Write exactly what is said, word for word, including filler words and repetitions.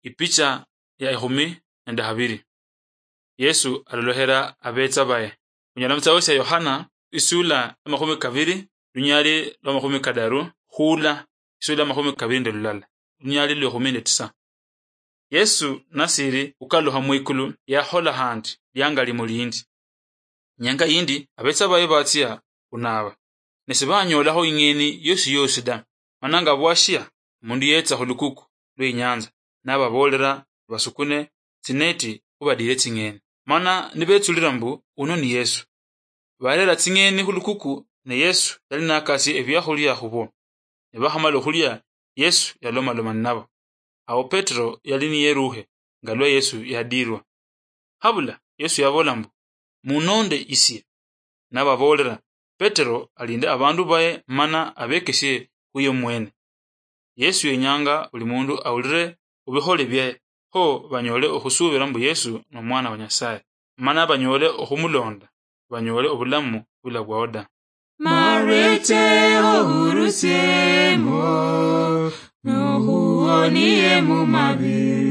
Ipicha ya ikhumi nende habiri. Yesu alolohera abetsa baye. Onyala mutsitabo tsia Yohana, isula ya makhumi kabiri, lunyali lwa makhumi kadaru, khula isula ya makhumi kabiri nende lulala, lunyali lwa ikhumi nende tisa. Yesu nasiri khukalukha mwikulu, yakhola khandi liangali mulindi. Nyanga yindi, abetsa baye batsia khunaba, ne sibanyoolakho ing'eni yosi yosi da. Mana nga bwashia, omundu yetsa khulukuku lwe inyanza, nababoolera basukune tsineti khubadiire tsing'eni. Mana nibetsulira mbu, "Uno ni Yesu." Barera tsing'eni khulukuku, ne Yesu yali nakasie ebiakhulia khubo. Ne bakhamala okhulia, Yesu yalomaloma ninabo. Awo Petero yali niyeruukhe nga lwa Yesu yadiirwa. Habula Yesu yaboola mbu, "Munonde isie." Nababoolera Petero alinde abandu baye mana abekesie khuye mwene. Yesu yenyanga buli mundu awulire khubikhole bie, kho banyoole okhusuubira mbu Yesu nomwana wa Nyasaye, mana banyoole okhumulonda, banyoole obulamu bula bwao da. Marete ohurusiemo, nohuwonie mu mabi.